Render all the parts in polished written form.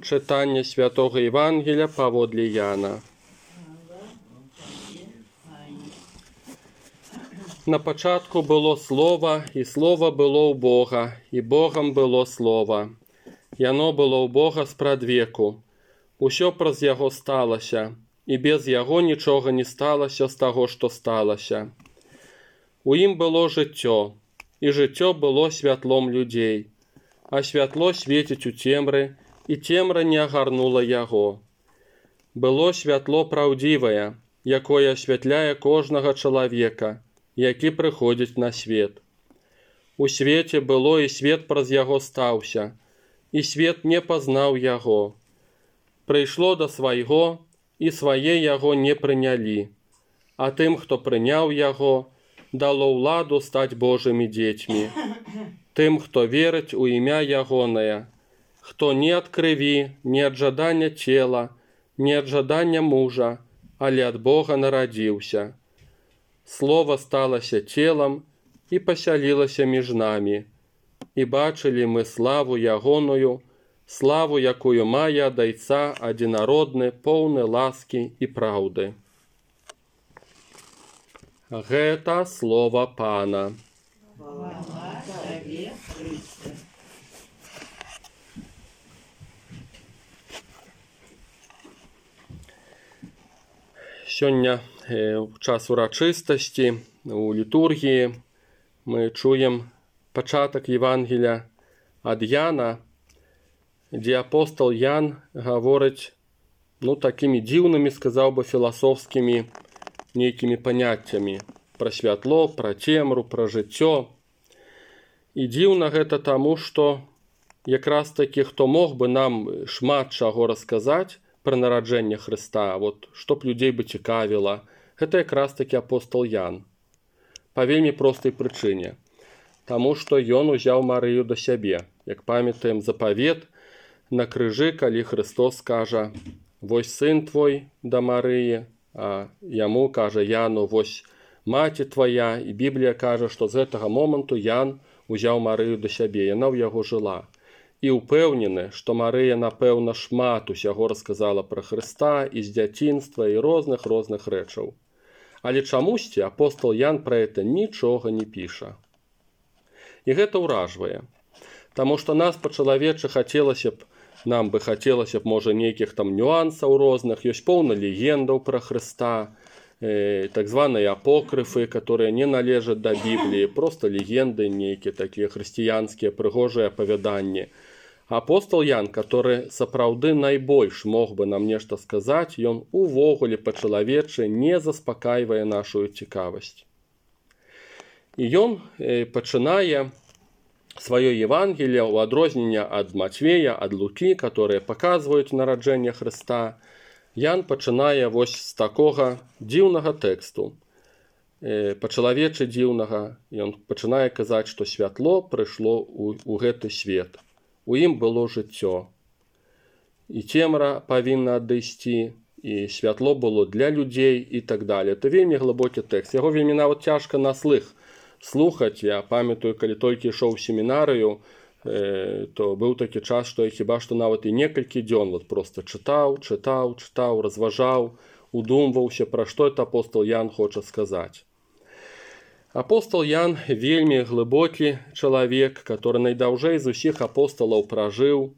Читання Святого Євангелія паводле Яна. На початку було Слово, і Слово було у Бога, і Богом було Слово. Яно було у Бога спрадвеку. Усьо праз Яго сталося, і без Яго нічого не сталося з того, що сталося. У ім було життя, і життя було святлом людей, а святло світить у темрі, і темра не огарнула Яго. Було святло правдиве, якое освятляє кожного чоловіка, який приходить на світ. У світі було, і світ праз Яго стався, і світ не познав Яго. Прийшло до свайго, і своє Яго не прийняли, а тим, хто прийняв Яго, дало владу стать Божими дітьми, тим, хто вірить у ім'я Ягоне, хто не від криві, не від жадання тіла, не від жадання мужа, але від Бога народився. Слово сталося тілом і поселилося між нами, і бачили ми славу Ягоною, славу, якою має від Отця одинородне, повне ласки і правди. Гэта слово Пана. Хвала Тебе, Христе. Сёння в час урачыстасці, у літургіі, мы чуем пачатак Євангелія ад Яна, дзе апостол Ян гаворыць, такімі дзіўнымі, сказаў бы, філасофскімі нейкімі паняццямі пра святло, пра цемру, пра жыццё. І дзіўна гэта таму, што якраз такі, хто мог бы нам шмат чаго расказаць пра нараджэнне Хрыста, што б людзей бы цікавіла, гэта якраз такі апостол Ян. Па вельмі простай прычыне. Таму што ён узяў Марыю да сябе. Як памятаем запавет на крыжы, калі Христос кажа: «Вось сын твой да Марыі», а яму кажа Яну: «Вось маці твая». І Біблія кажа, што з гэтага моманту Ян узяў Марыю да сябе, яна ў яго жыла. І ўпэўнены, што Марыя, напэўна, шмат усяго расказала пра Хрыста і з дзяцінства, і розных рэчаў. Але чамусьці апостол Ян пра гэта нічога не піша. І гэта ўражвае. Таму што нас па-чалавечы нам бы хацелася б, можа, нейкіх там нюансаў розных, ёсць поўна легендаў пра Хрыста, так званыя апокрыфы, которые не належаць да Бібліі, проста легенды нейкія такія хрысціянскія прыгожыя апавяданні. Апостол Ян, который сапраўды найбольш мог бы нам нешта сказаць, ён увогуле па-чалавечы не заспакайвае нашу цікавасць. І ён пачынае сваё Евангелие ў адрозненне ад Матвея, ад Лукі, которые паказваюць нараджэнне Хрыста. Ян пачынае вось з такога дзіўнага тэксту, па-чалавечы дзіўнага. Ён пачынае казаць, што святло прыйшло ў гэты свет. У ім было жыццё. І цемра павінна адысці, і святло было для людзей і так далее. Это вельмі глыбокі тэкст. Яго вельмі нават цяжка на слых слухаць. Я памятаю, калі толькі ішоў у семінарыю, то быў такі час, што я хіба што нават і некалькі дзён проста чытаў, разважаў, удумваўся, пра што это апостол Ян хоча сказаць. Апостол Ян вельмі глыбокі чалавек, который найдаўжэй з усіх апосталаў пражыў.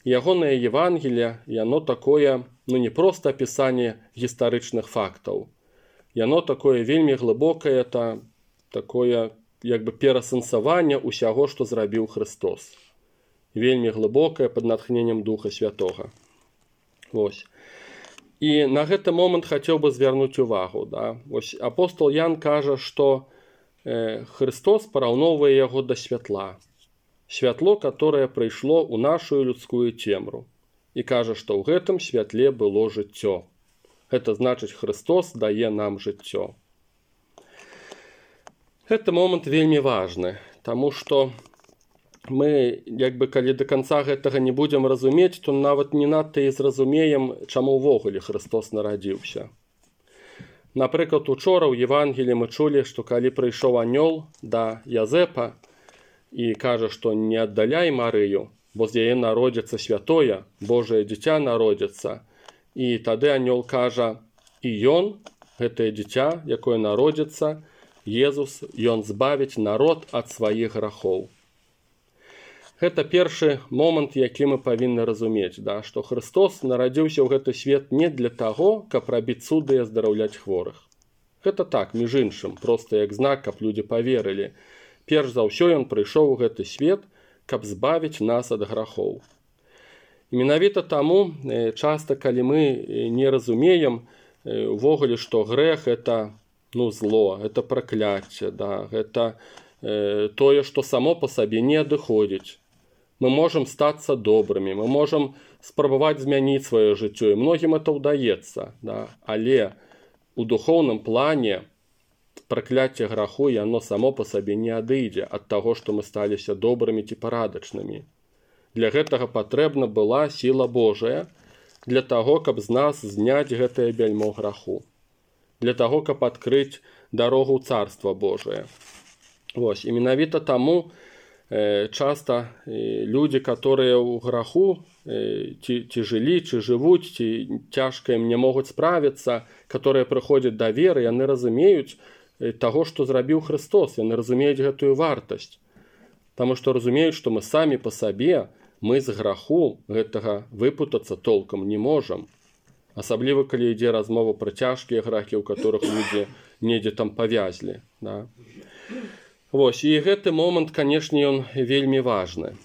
Ягонае Евангелие, яно такое, не проста апісанне гістарычных фактаў. Яно такое вельмі глыбокае, такое як бы перасэнсаванне ўсяго, што зрабіў Христос. Вельмі глыбокае, пад натхненнем Духа Святога. Вось. І на гэты момант хацеў бы звярнуць увагу. Вось апостол Ян кажа, што Христос параўноўвае яго да святла. Святло, которое прыйшло ў нашу людскую цемру. І кажа, што ў гэтым святле было жыццё. Гэта значыць, Христос дае нам жыццё. Гэты момант вельмі важны, таму што мы, калі да канца гэтага не будзем разумець, то нават не надта і зразумеем, чаму ўвогуле Христос нарадзіўся. Напрыклад, учора ў Евангеліі мы чулі, што калі прыйшоў анёл да Язэпа і кажа, што не аддаляй Марыю, бо з яе народзіцца святое, Божае дзіця народзіцца. І тады анёл кажа, і ён, гэтае дзіця, якое народзіцца, Езус, ён збавіць народ ад сваіх грахоў. Гэта першы момант, які мы павінны разумець, да, што Христос нарадзіўся ў гэты свет не для таго, каб рабіць цуды і аздараўляць хворых. Гэта так, між іншым, проста як знак, каб людзі паверылі. Перш за ўсё ён прыйшоў у гэты свет, каб збавіць нас ад грахоў. І менавіта таму часта, калі мы не разумеем увогуле, што грэх гэта зло, гэта пракляцце, да, гэта тое, што само па сабе не адыходзіць. Мы можам стацца добрымі, мы можам спрабаваць змяніць сваё жыццё, і многім это ўдаецца, да? Але у духоўным плане пракляцце граху, яно само па сабе не адыдзе ад таго, што мы сталіся добрымі ці парадачнымі. Для гэтага патрэбна была сіла Божая, для таго, каб з нас зняць гэтае бяльмо граху, для таго, каб адкрыць дарогу ў Царства Божае. Вось, і менавіта таму часта людзі, которые ў граху ці жылі, ці жывуць, ці цяжка ім не могуць справіцца, которые прыходзяць да веры, яны разумеюць таго, што зрабіў Христос, яны разумеюць гэтую вартасць. Таму што разумеюць, што мы самі па сабе, мы з граху гэтага выпутацца толкам не можам. Асабліва, калі ідзе размова пра цяжкія грахі, у которых людзі недзе там павязлі. Да? Вось, і гэты момант, канешне, ён вельмі важны.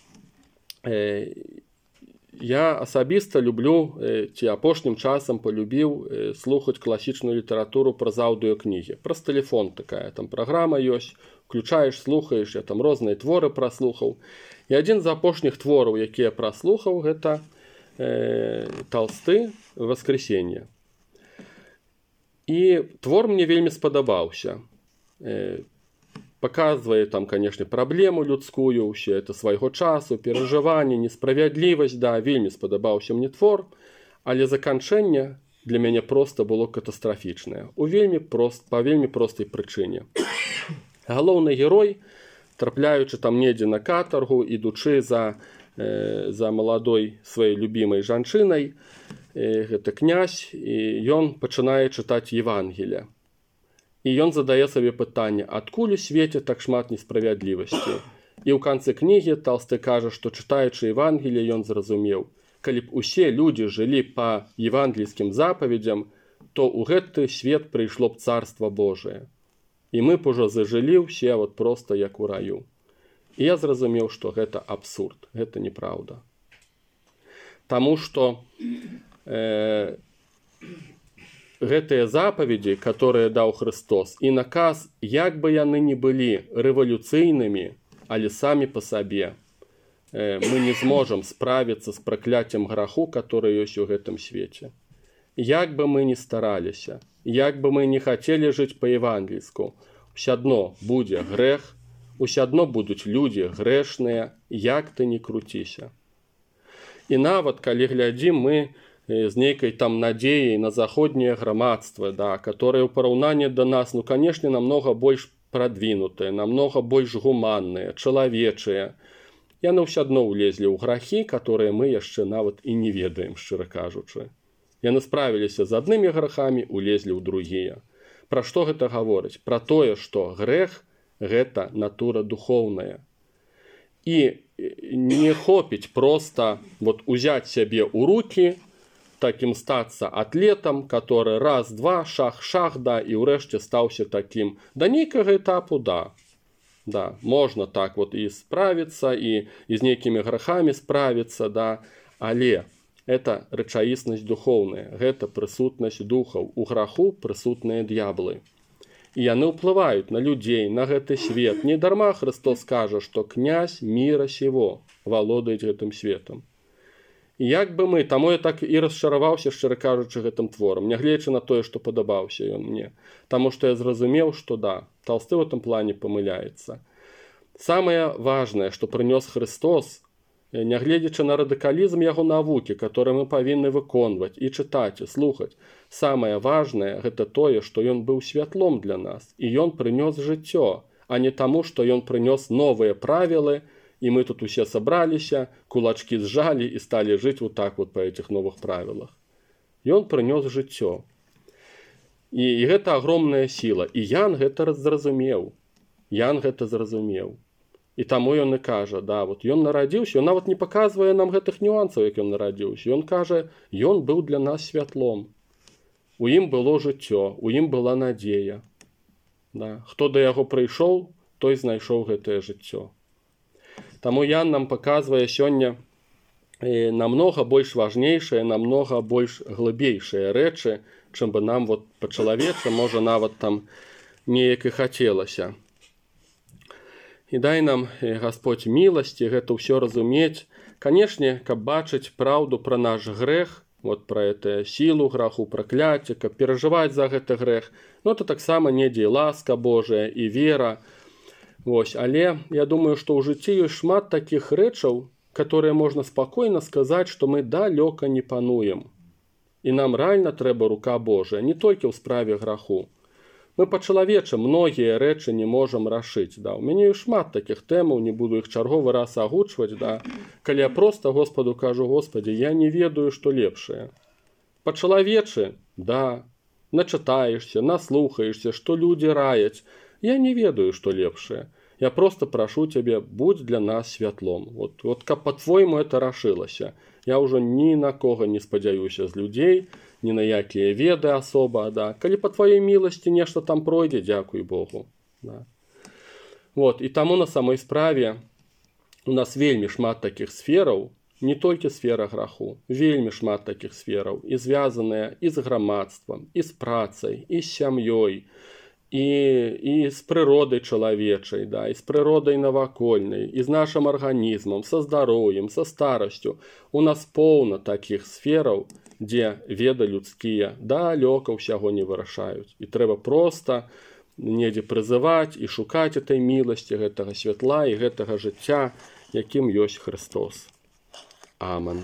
Я асабіста люблю, ці апошнім часам полюбіў слухаць класічную літаратуру праз аўдыёкнігі. Праз тэлефон такая там праграма ёсць, включаеш, слухаеш, я там розныя творы праслухаў. І адзін з апошніх твораў, які я праслухаў, гэта Толсты «Воскресенье». І твор мне вельмі спадабаўся. Показывае там, конечно, праблему людскую, ўсе это свайго часу, перажыванне, несправядлівасць, да, вельмі спадабаўся мне твор, але заканчэнне для мяне проста было катастрафічнае. Па вельмі простай прычыне. Галоўны герой, трапляючы там недзе на катаргу, ідучы за маладой сваёй любімай жанчынай, гэта князь, і ён пачынае чытаць Евангелие. І ён задае сабе пытанне, адкуль у свеце так шмат несправядлівасці. І ў канцы кнігі Толсты кажа, што чытаючы Евангелие, ён зразумеў, калі б усе людзі жылі па евангельскім запаведзям, то ў гэты свет прыйшло б Царства Божие. І мы б ужо зажылі ўсе вот проста як у раю. І я зразумеў, што гэта абсурд, гэта неправда. Таму што гэтыя запаведзі, которые даў Христос, і наказ, як бы яны ні былі рэвалюцыйнымі, але самі па сабе, мы не зможам справіцца з пракляццем граху, который ёсць у гэтым свеце. Як бы мы ні стараліся, як бы мы не хацелі жыць па-евангельску, ўсё адно будзе грэх, ўсё адно будуць людзі грэшныя, як ты не круціся. І нават, калі глядзім мы з нейкай там надзеяй на заходняе грамадства, да, которое ў параўнанні да нас, канешне, намного больш прадвінутыя, намного больш гуманныя, чалавечыя. Яны ўсё адно ўлезлі ў грахі, которые мы яшчэ нават і не ведаем, шчыра кажучы. Яны справіліся з аднымі грахамі, улезлі ў другія. Пра што гэта гаворыць? Пра тое, што грэх – гэта натура духоўная. І не хопіць проста узяць сябе ў рукі, таким стацца атлетам, который раз-два, шах-шах, да, і ўрэшце стаўся таким. Да нейкага этапу, да. Да, можна так і справіцца, і з нейкімі грахамі справіцца, да, але это рэчаіснасць духоўная, гэта прысутнасць духаў. У граху прысутныя д'яблы. І яны ўплываюць на людзей, на гэты свет. Не дарма Христос кажа, што князь міра сего валодаюць гэтым светам. Як бы мы, таму я так і расчараваўся, шчыра кажучы, гэтым творам, нягледзячы на тое, што падабаўся ён мне. Таму што я зразумеў, што да, Толсты в этом плане памыляецца. Самае важнае, што прынёс Христос, нягледзячы на радыкалізм яго навукі, который мы павінны выконваць і чытаць, і слухаць, самае важнае гэта тое, што ён быў святлом для нас, і ён прынёс жыццё, а не таму, што ён прынёс новыя правілы, и мы тут усе собраліся, кулачки сжали и стали жить вот так вот по этих новых правилах. Ён прынёс жыццё. І гэта агромная сіла. І Ян гэта зразумеў. Ян гэта зразумеў. І таму ён і кажа, да, вот ён нарадзіўся, ён нават не паказвае нам гэтых нюансаў, як ён нарадзіўся. Ён кажа, ён быў для нас святлом. У ім было жыццё, у ім была надзея. Да. Хто да яго прыйшоў, той знайшоў гэтае жыццё. Таму Ян нам паказвае сёння намнога больш важнейшыя, намнога больш глыбейшыя рэчы, чым бы нам вот па-чалавечы, можа, нават там неяк і хацелася. І дай нам, Гасподзь, міласці гэта ўсё разумець. Канешне, каб бачыць праўду пра наш грэх, вот пра эту сілу граху, пракляцце, каб перажываць за гэты грэх, ну, это таксама недзе і ласка Божая, і вера. Вось, але я думаю, што ў жыцці ёсць шмат такіх рэчаў, которые можна спакойна сказаць, што мы далёка не пануем. І нам рэальна трэба рука Божая, не толькі ў справе граху. Мы па-чалавечы многія рэчы не можам рашыць. Да. У мяне ёсць шмат такіх тэмаў, не буду іх чарговы раз агучваць. Да. Калі я проста Господу кажу, Господи, я не ведаю, што лепшае. Па-чалавечы, да, начытаешся, наслухаешся, што людзі раяць. Я не ведаю, што лепшае. Я просто прошу тебе, будь для нас святлом. Вот каб по-твойму это рашылася. Я ўжо ні на кого не спадзяюся з людзей, ні на якія веды асоба. Да. Калі по твоей міласці нешта там пройдзе, дзякуй Богу. Да. Вот, і таму на самой справе у нас вельмі шмат такіх сфераў, не толькі сфера граху, вельмі шмат такіх сфераў, і звязаныя і з грамадствам, і з працай, і з сям'ёй, і з прыродай чалавечай, да, і з прыродай навакольнай, і з нашым арганізмам, са здароўем, са старасцю. У нас поўна такіх сфераў, дзе веды людскія далёка ўсяго не вырашаюць. І трэба проста недзе прызываць і шукаць этой міласці, гэтага святла і гэтага жыцця, якім ёсць Христос. Амэн.